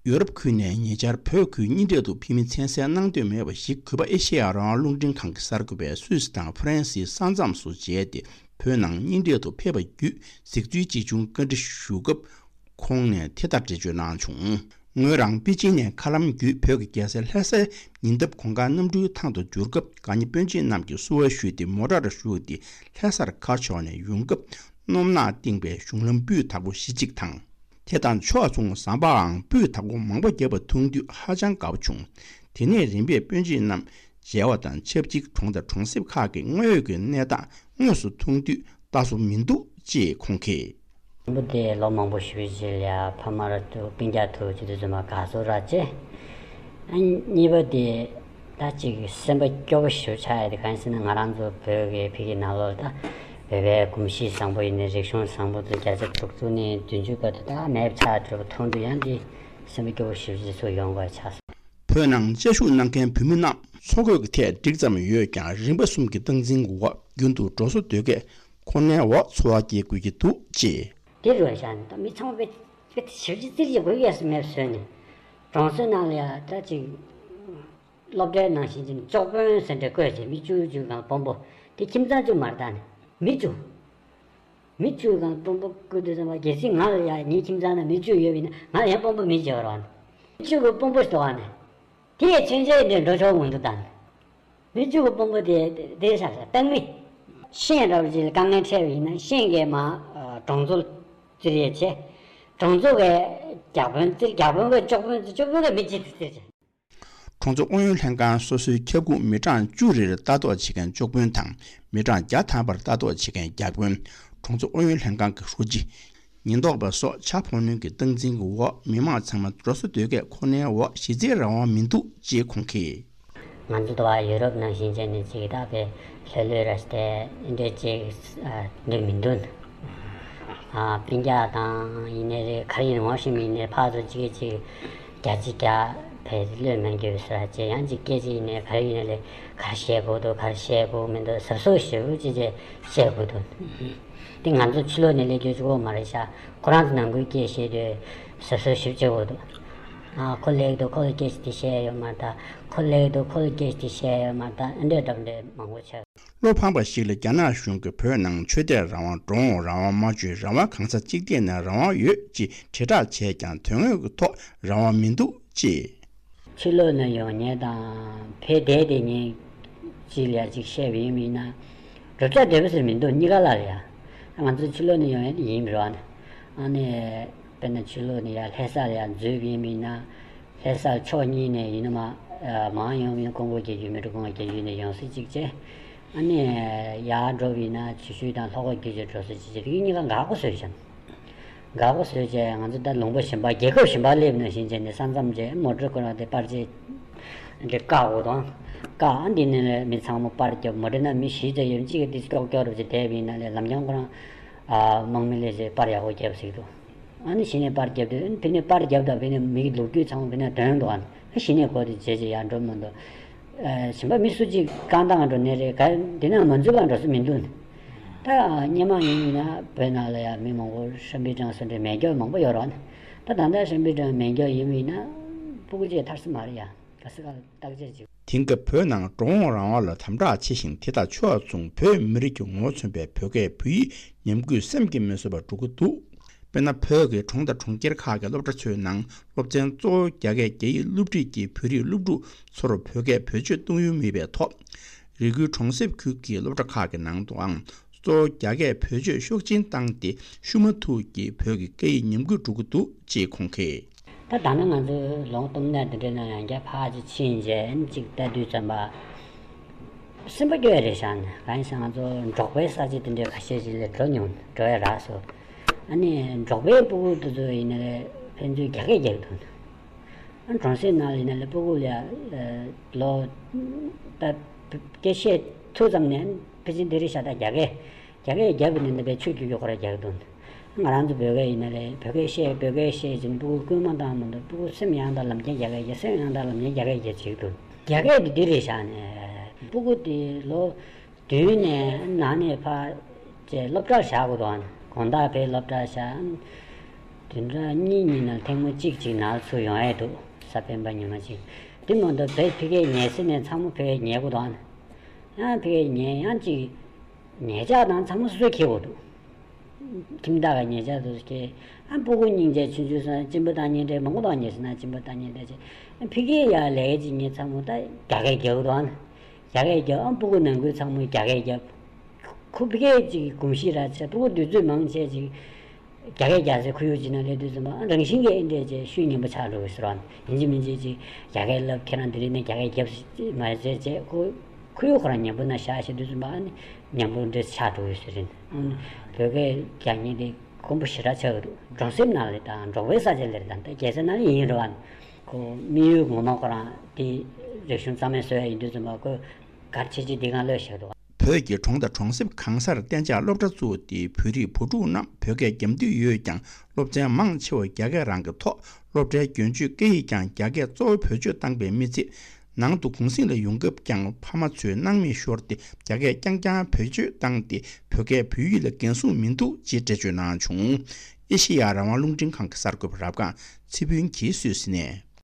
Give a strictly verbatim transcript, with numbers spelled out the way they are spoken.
ཡོ་རོབ་ཁུལ་ནས་ཉེ་ཆར་བོད་ཁུལ་གཉིས་འཕྲད་དུ་ཕེབས་མི་མཚན་གསལ་གནང་འདོད་མེད་པ་ཞིག་གུས་པ་ཨེ་ཤེ་ཡ་རང་དབང་རླུང་འཕྲིན་ཁང་གི་གསར་འགོད་པས་སུད་སི་དང་ཧྥ་རན་སིའི་ས་མཚམས་སུ་མཇལ་ཏེ། བོད་ནང་གཉིས་འཕྲད་དུ་ཕེབས་པ་བརྒྱུད་གཟིགས་ཚུལ་ཅིག་བྱུང་བཀའ་འདྲི་ཞུ་སྐབས། ཁོང་ནས་དེ་ལྟར་འགྲེལ་བརྗོད་གནང་བྱུང་། ངོས་རང་པེ་ཅིན་ནས་མཁའ་ལམ་བརྒྱུད་བོད་ཀྱི་རྒྱལ་ས་ལྷ་སའི་ཉེ་འདབས་གོང་དཀར་གནམ་གྲུའི་ཐང་དུ་འབྱོར་སྐབས། དགའ་ཉེ་སྤུན་མཆེད་རྣམས་ཀྱིས་བསུ་བ་ཞུས་ཏེ་མོ་ཊར་བཞུགས་ཏེ་ལྷ་སར་ཁ་ཕྱོགས་ནས་ཡོང་སྐབས། སྣུམ་ནག་བཏིང་བའི་གཞུང་ལམ་སྤུས་དག་པོ་གཞི་གཅིག་དང་། དེ་དང་ཕྱོགས་མཚུངས་ཟམ་པའང་སྤུས་དག་པོ་མང་པོ་བརྒྱབ་པ་མཐོང་དུས་ཧ་ཅང་དགའ་པོ་བྱུང་། དེ་ནས་རིམ་པས་སྤུན་མཆེད་རྣམས་མཇལ་བ་དང་ཆབས་ཅིག་གྲོང་དང་གྲོང་གསེབ་ཁག་གི་དངོས་ཡོད་ཀྱི་གནས་སྟངས་དངོས་སུ་མཐོང་དུས་ལྟ་སོ་མི་འདུག་ཅེས་ཁོང་གིས། དང་པོ་དེ་ལོ་མང་པོ་ཞིག་རྗེས་ལ་ཕ་མ་ར་ཏུ་སྤུན་ཀྱག་ཐུག་ཅི་དུ་ཚོད་མ་དགའ་ཚོར་ར་ཅེ། ཨ་གཉིས་པ་དེ་ད་ཅིག་སེམས་པ་སྐྱོ་པོ་ཞིག་ཆགས་ཡ་དེ་གང་ཡིན་ཟེར་ན། ང་རང་ཚོ་བོད་ཀྱི་ཕ་གི་ནང་ལོགས་ད་བོད་པའི་གོམས་གཤིས་བཟང་པོ་ཡིན་ནའི་རིག་གཞུང་བཟང་པོ་དེ་བརྒྱ་ཆ་དྲུག་ཅུ་ནས་བདུན་ཅུ་བར་དུ་ད་མེད་པ་ཆགས་འགྲོ་བ་མཐོང་དུས་ཡང་དེ་སེམས་པ་སྐྱོ་པོ་ཞིག་ཅིག་ཚུར་ཡོང་དགོས་ཆགས་སོང་། བོད་ནང་བཅའ་བཞུགས་གནང་མཁན་བོད་མི་རྣམས་འཚོ་གོས་ཀྱི་ཐད་འགྲིག་ཙམ་ཡོད་ཀྱང་རིམ་པ་གསུམ་གྱི་སྟངས་འཛིན་འོག་རྒྱུན་དུ་འགྲོ་སོ་སྡོད་སྐད། ཁོ་ནའི་འོག་འཚོ་བ་སྐྱེལ་དགོས་ཀྱི་འདུག་ཅེས། དེ་རུ་བཞག་ནས་ད་མི་ཚང་མ་དཔེ་དཔེ་ཞིབ་ཅིག་རྩིས་ཀྱི་དགོས་ཡས་སུ་མེད་བཟོས་ནས། གྲོང་ཚོའི་ནང་ལ་ཡ་ད་ཅིག་སློབ་གྲྭའི་ནང་བཞིན་གྱི་ཅོག་དཔོན་ཟེར་འདྲ་བསྐོས་བྱས་མི་བཅུ་བཅུ་གང་དཔོན་པོ་དེ་ཁྱིམ་ཚང་བཅུ་མར་བཏང་ནས་མི་བཅུ། མི་བཅུ་གང་དཔོན་པོ་བསྐོས་དུས་ཙམ་པ་གལ་སྲིད་ང་ལ་ཡ་ངའི་ཁྱིམ་ཚང་ནང་མི་བཅུ་ཡོད་པ་ཡིན་ན་ང་ལ་ཡང་དཔོན་པོ་མི་བྱེད་པ་རོགས་ནས། མི་བཅུ་གི་དཔོན་པོ་ཞིག་འདུག་ག་ནས། དེས་མཚོན་ཆའི་འདི་འགྲོ་ཆོག་མི་འདུག་ད། མི་བཅུ་གི་དཔོན་པོ་དེ་དེ་ཆགས་ས་བཏང་མི། ཤེས་རབ་ཅིག་ལ་དཀའ་ངལ་འཕྲད་པ་ཡིན་ན་ཤེས་ཀྱི་མ་གྲོང་ཚོ་བཙིར་ཡས་བྱས། གྲོང་ཚོ་གི་བརྒྱ་དཔོན་བཙིར། བརྒྱ་དཔོན་གི་ཅོག་དཔོན་བཙིར། ཅོག་དཔོན་གི་མི་གཅིག་བཙིར་བྱས། གྲོང་ཚོ་ཨུ་ཡོན་ལྷན་ཁང་སོ་སོའི་ཁྱབ་ཁོངས་མི་གྲངས་བཅུ་རེར་ལྟ་རྟོག་བྱེད་མཁན་ཅོག་དཔོན་དང་མི་གྲངས་བརྒྱ་ཐམ་པར་ལྟ་རྟོག་བྱེད་མཁན་བརྒྱ་དཔོན། གྲོང་ཚོ་ཨུ་ཡོན་ལྷན་ཁང་གི་ཧྲུའུ་ཅི། ཉེན་རྟོག་པ་སོགས་ཕྱག་ཕོགས་སྣོན་གྱི་སྟངས་འཛིན་གྱི་འོག་མི་མང་ཚང་མ་འགྲོ་སོ་སྡོད་སྐད་ཁོ་ནའི་འོག་གཞི་རྩའི་རང་དབང་མི་འདུག་ཅེས་ཁོང་གིས། ང་ཚོ་དུ་བ་ཡུ་རོབ་ནང་བཞིན་བྱས་ནས་ཅིག་ད་བས་ལྷོད་ལྷོད་ར་སྟེ་འདྲ་ཅིག་འདྲ་མི་འདུག་ཨ་སྤུན་ཀྱག་དང་ཡིན་ནའི་རེད། ག་རེ་ཡིན་ངོ་ཤེས་མི་ཡིན་ནའི་ཕར་ཚུར་གཅིག་གིས་གཅིག་བརྒྱ་གཅིག་བརྒྱ་བས་བློས་མ་འགྱོད་ཟེར་བ་ཅེ། ཡང་ཅིག་སྐད་ཅིག་ཡིན་ནའི་ག་རེ་ཡིན་ནའི་ལས་ག་རེ་བཤད་དགོས་འདུག་ག་རེ་བཤད་དགོས་མི་འདུག་གཟབ་གཟབ་ཞེ་པོ་ཅིག་བྱས་བཤད་དགོས་འདུག་དེ་ང་ཚོ་ཕྱི་ལོགས་ནས་སླེབས་རྒྱུ་གཅིག་པོ་མ་རེད་ཤག་ཁོ་རང་ཚོ་ནང་ཁུལ་སྐད་བཤད་དུས་གཟབ་གཟབ་ཞིབ་བྱེད་དགོས་འདུག་ཨ་ཁོ་སླེབས་འདུག་ཁོ་ལ་སྐད་ཆ་དེ་བཤད་ཡོད་མ་རེད་ད། ཁོ་སླེབས་འདུག་ཁོ་ལ་སྐད་ཆ་དེ་བཤད་ཡོད་མ་རེད་ད། ཨ་འདྲས་འདྲ་འདྲས་མང་པོ་བྱས། བློ་ཕངས་པ་ཞིག་ལ་རྒྱ་ནག་གཞུང་གིས་བོད་ནང་ཆོས་དད་རང་དབང་། འགྲོ་འོང་རང་དབང་། སྨྲ་བརྗོད་རང་དབང་། གང་ཟག་གཅིག་སྡུད་ནས་རང་དབང་ཡོད་ཅེས་དྲིལ་བསྒྲགས་བྱས་ཀྱང་དོན་དངོས་ཀྱི་ཐོག་རང་དབང་མི་འདུག་ཅེས། ཕྱི་ལོགས་ནས་ཡོང་མཁན་དང་ཕེབས་བསྡད་བསྡད་མཁན་གཅིག་ལ་ཡ་གཅིག་བཤད་པ་ཡིན་པ་ཡིན་ན། བགྲོ་གླེང་བདེ་པོ་ཟེར་མི་འདུག་གཉིས་ཀ་ལ་ལ་ཡ། ང་ཚོ་ཕྱི་ལོགས་ནས་ཡོང་མཁན་ཡིན་པ་རེད་བ། ཨ་ནི་དཔེར་ན་ཕྱི་ལོགས་ནས་ཡ་ལྷ་ས་ལ་ཡ་འཛུལ་བ་ཡིན་པ་ཡིན་ན། ལྷ་ས་ཕྱོགས་གཉིས་ནས་ཡིན་ན་མ་མང་ཡོང་མིན་ཀོང་པོ་བརྒྱད་ཅུ་མི་འགྲོ་ཀོང་པོ་བརྒྱད་ཅུ་ནས་ཡོང་ས་གཅིག་བྱས། ཨ་ནི་ཡར་འགྲོ་བ་ཡིན་ན་ཆུ་ཤུར་དང་ལྷོ་ཁ་བརྒྱད་ཅུ་འགྲོ་ས་གཅིག་བྱས། དེ་གཉིས་ཀ་འགག་པོ་བཟོས་བྱས། འགག་པོ་བཟོས་བྱས་ང་ཚོ་ད་ལུང་པ་གཞན་པ་རྒྱལ་ཁབ་གཞན་པ་སླེབས་ནང་བཞིན་བྱས་ནས་ས་མཚམས་བྱས་མོ་ཊ་ཁོ་རང་དེ་པར་ཆས་འདི་བཀག་དགོས་དང་། བཀག་ཨ་འདི་ནས་ལས་མི་ཚང་མ་པར་རྒྱབ། མོ་ཊ་ནང་མི་བཞི་ཙམ་ཡོད། གཅིག་གིས་དེ་སྐྱོག་སྐྱོག་རུ་བྱས་བསྡད་པ་ཡིན་ན་ལས་ལམ་རྐྱང་ཁོ་རང་ཨ་དམག་མི་སླེབས་བྱས་པར་ཡག་པོ་རྒྱབ་ཟིག་འདུག་ཨ་ནི་གཞི་ནས་པར་རྒྱབ་དུས་ཨ་ནི་དེ་ནས་པར་རྒྱབ་དང་དེ་ནས་མི་གི་ལོ་རྒྱུས་ཚང་མ་དེ་ནས་དོན་འདུག་ཨ་ནི་གཞི་ནས་གོ་དེ་བྱས་བྱས་ཡར་འགྲོ་མི་འདུག་ཨ་གཞན་པ་མི་སུ་གཅིག་རྐང་ཐང་འགྲོ་ནས་རེད། ག་དེ་ནང་མ་འཛུལ་བར་འགྲོ་ས་མི་འདུག་ད་སྔོན་མ་ཡིན་ཡིན་ན་བོད་ནང་ལ་ཡང་མི་མང་པོ་ཧྲ་པི་ཀྲང་སོགས་འདྲའི་མེ་སྒྱོགས་མང་པོ་ཡོད་རེད། ད་ད་ལྟ་ཧྲ་པི་ཀྲང་མེ་སྒྱོགས་ཡིན་པ་ཡིན་ན་སྤུ་གུ་གཅིག་ཐར་ས་མ་རེད་ཡ། ག་ས་ག་ལ་བརྟག་དཔྱད་བྱེད། དེང་སྐབས་བོད་ནང་འགྲོ་འོང་རང་དབང་ལ་དམ་དྲག་ཆེ་ཞིང་། དེ་དང་ཕྱོགས་མཚུངས་བོད་མི་རིགས་ཀྱི་ངོ་བོ་མཚོན་པའི་བོད་སྐད་བོད་ཡིག་ཉམས་རྒུད་སེམས་ཀྱིས་མི་བཟོད་པར་འགྲོ་གི་འདུག་དཔེར་ན། བོད་ཀྱི་གྲོང་དང་གྲོང་ཁྱེར་ཁག་གི་སློབ་གྲྭ་ཚོའི་ནང་སློབ་ཚན་གཙོ་བོ་རྒྱ་སྐད་རྒྱ་ཡིག་སློབ་ཁྲིད་ཀྱིས་བོད་རིགས་སློབ་ཕྲུག་ཚོར་བོད་སྐད་བེད་སྤྱོད་གཏོང་ཡུལ་མེད་པའི་ཐོག་རི་ཁུལ་གྲོང་གསེབ་ཁུལ་གྱི་སློབ་གྲྭ་ཁག་གི་ནང་དུའང་གཙོ་བོ་རྒྱ་སྐད་བེད་སྤྱོད་ཤུགས་ཆེན་བཏང་སྟེ་ཤུགས་མ་ཐུག་གིས་བོད་ཀྱི་སྐད་ཡིག་ཉམས་རྒུད་འགྲོ་གི་འདུག་ཅེས་ཁོང་གིས། ད་ད་ནི་ང་ཚོའི་ལུང་སྟོང་ནས་འདི་འདྲའི་ནང་ཡང་བསྐྱར་ཕར་ཅིག་ཕྱིན་རྗེས་ཨ་ནི་ཅིག་ལྟ་དུས་ཙམ་པ། སེམས་པ་སྐྱོ་ཡ་རེད་ཤག་ནི་གང་ཡིན་ཟེར་ང་ཚོ་འབྲོག་པའི་ས་ཆ་དེ་འདྲའི་ཁ་ཤས་ཅིག་ལ་འགྲོ་མྱོང་འགྲོ་ཡ་རག་སོང་། ཨ་ནི་འབྲོག་པའི་སྤུ་གུ་དེ་ཚོ་ཡིན་ན་ལས་ཕན་ཚུན་རྒྱ་སྐད་རྒྱག་གི་འདུག་ཨ་གྲོང་གསེབ་ནང་ལ་ཡིན་ན་ལས་སྤུ་གུ་ལ་ལོ་ད་སྐད་བཤད་ཐུབ་ཙམ་ནས་ཕལ་ཆེར་འདི་རེད་ཤག་ད་རྒྱ་སྐད། རྒྱ་སྐད་རྒྱབ་པ་ནི་འདི་པའི་ཆོས་བརྒྱུད་ཀྱི་ཁོ་ར་རྒྱག་གི་འདུག་ང་རང་ཚོ་བོད་སྐད་ཡིན་ན་རེད། བོད་སྐད་བཤད་བོད་སྐད་བཤད་ཅིང་སྤུ་གུ་སྐུལ་མ་བཏང་མི་འདུག་སྤུ་གུ་སེམས་ཡང་དག་ལམ་ཁྱེར་རྒྱ་སྐད་རྒྱག་སེམས་ཡང་དག་ལམ་ཁྱེར་རྒྱ་སྐད་རྒྱག་བྱེད་ཀྱི་འདུག་རྒྱ་སྐད་འདི་འདི་རེད་ཤག་ནས་སྤུ་གུ་དེ་ལོ་བདུན་ནས་ནང་ནས་ཕར་ཅེ་སློབ་གྲྭར་བཞག་དགོས་འདུག་དགོང་དག་ཕར་སློབ་གྲྭར་བཞག་བདུན་ཕྲག་གཉིས་གཉིས་ནང་ཐེངས་མ་གཅིག་ཅིག་ནང་ལ་ཚུར་ཡོང་ཡས་འདུག། གཟའ་སྤེན་པ་ཉི་མ་གཅིག། དེ་མ་གཏོགས་བོད་ཕ་གིར་ཉལ་ས་ནས་ཚང་མ་ཕ་གིར་ཉལ་དགོས་འདུག་ཨ། ཡང་ཕ་གིར་ཉལ་ཡང་ཅིག་ཉལ་ཆས་དང་ཚང་མ་སོ་སོས་འཁྱེར་དགོས་འདུག། ཁྱིམ་བདག་གིས་ཉལ་ཆས་སོ་སོས་འཁྱེར། ཨ་སྤུ་གུ་སྙིང་རྗེ་ཆུང་ཆུང་ཚོ་གཅིན་པ་བཏང་མཁན་འདྲ་མང་པོ་འདུག། ཉལ་ས་ན་གཅིན་པ་བཏང་མཁན་འདྲ་བྱས། ཨ་ཕ་གིར་ཡར་ལས་ཀ་བྱེད་མཁན་ཚང་མ་ད་རྒྱ་སྐད་རྒྱག་གི་འདུག་ཨ། རྒྱ་སྐད་རྒྱབ། ཨ་སྤུ་གུ་ནང་ཁུལ་ཚང་མས་རྒྱ་སྐད་རྒྱབ། ཁོ་ཕ་གིར་ཅིག་གོམས་གཤིས་རག་བྱས། སྤུ་གུ་དུས་ཚོད་མང་ཆེ་ཅིག་རྒྱ་སྐད་རྒྱག་སའི་ཁོར་ཡུག་ཅིག་ནང་སླེབས་དུས་ཙམ་པ། ཨ་རང་བཞིན་གྱིས་ཨེ་འདྲས་བྱས་ཤུལ་ཉན་པོ་ཆགས་འགྲོ་གི་ཟེར་བ། ཡིན་གཅིག་མིན་གཅིག་ཅིག་རྒྱ་སྐད་ལབ། ཁྱེད་རང་དེ་རིང་ནས་རྒྱ་སྐད་རྒྱབ་མ་བྱས་བྱས། ཁོ་ཁོར་ཡུག་ཁོ་རང་ཉན་པོ་ནང་བཞག་བྱས་དུས་ཙམ་པ། ཨ་ནི་ཉན་པོ་འདྲས་ཆགས་འགྲོ་གི་ཟེར་རེད། ཨ་ནི་བོད་སྐད་རྒྱག་མཁན་དེ་དཀོན་པོ་ཞེ་དྲག་ཆགས་ཀྱི་འདུག། གྲོང་གསེབ་ནང་ལ་དང་འབྲོག་པའི་ས་ཆ་ལ་རེད། ད་ལྟ་རྒྱལ་ས་ནང་ལ་ཡིན་རེད་བ། ཁོ་དམིགས་ཡུལ་ངོ་མ་ཁོ་རང་དེ་རིག་གཞུང་རྩ་མེད་བཟོ་ཡ་ཡིན་དུས་ཙམ་པ། ཁོས་གལ་ཆེ་ཆེ་འདི་སྒང་ལོས་བཞག་འདུག། བོད་ཀྱི་གྲོང་དང་གྲོང་གསེབ་གང་སར་གཏན་འཇགས་སློབ་གྲྭ་བཙུགས་ཏེ། བོད་རིགས་བུ་ཕྲུག་རྣམས་བོད་སྐད་རྒྱབ་འདོད་ཡོད་ཀྱང་སློབ་ཚན་མང་ཆེ་བ་རྒྱ་སྐད་རང་གི་ཐོག། སློབ་གྲྭའི་རྒྱུན་སྤྱོད་སྐད་ཡིག་ཀྱང་རྒྱ་སྐད་གཙོ་བོ་བེད་སྤྱོད་བཏང་པའི་མི་ཚད། ནང་དུ་གུང་གསེང་ལ་ཡོང་སྐབས་ཀྱང་ཕ་མ་ཚོས་སྣང་མེད་ཤོར་ཏེ། རྒྱ་སྐད་རྐྱང་རྐྱང་བེད་སྤྱོད་བཏང་སྟེ། བོད་སྐད་བོད་ཡིག་ལ་འགན་སྲུང་མི་འདུག་ཅེས་འགྲེལ་བརྗོད་གནང་བྱུང་། ཨེ་ཤེ་ཡ་རང་དབང་རླུང་འཕྲིན་ཁང་གི་གསར་འགོད་པ་རབ་སྒང་ཚེ་ཕུན་གྱིས་སུད་སི་ནས།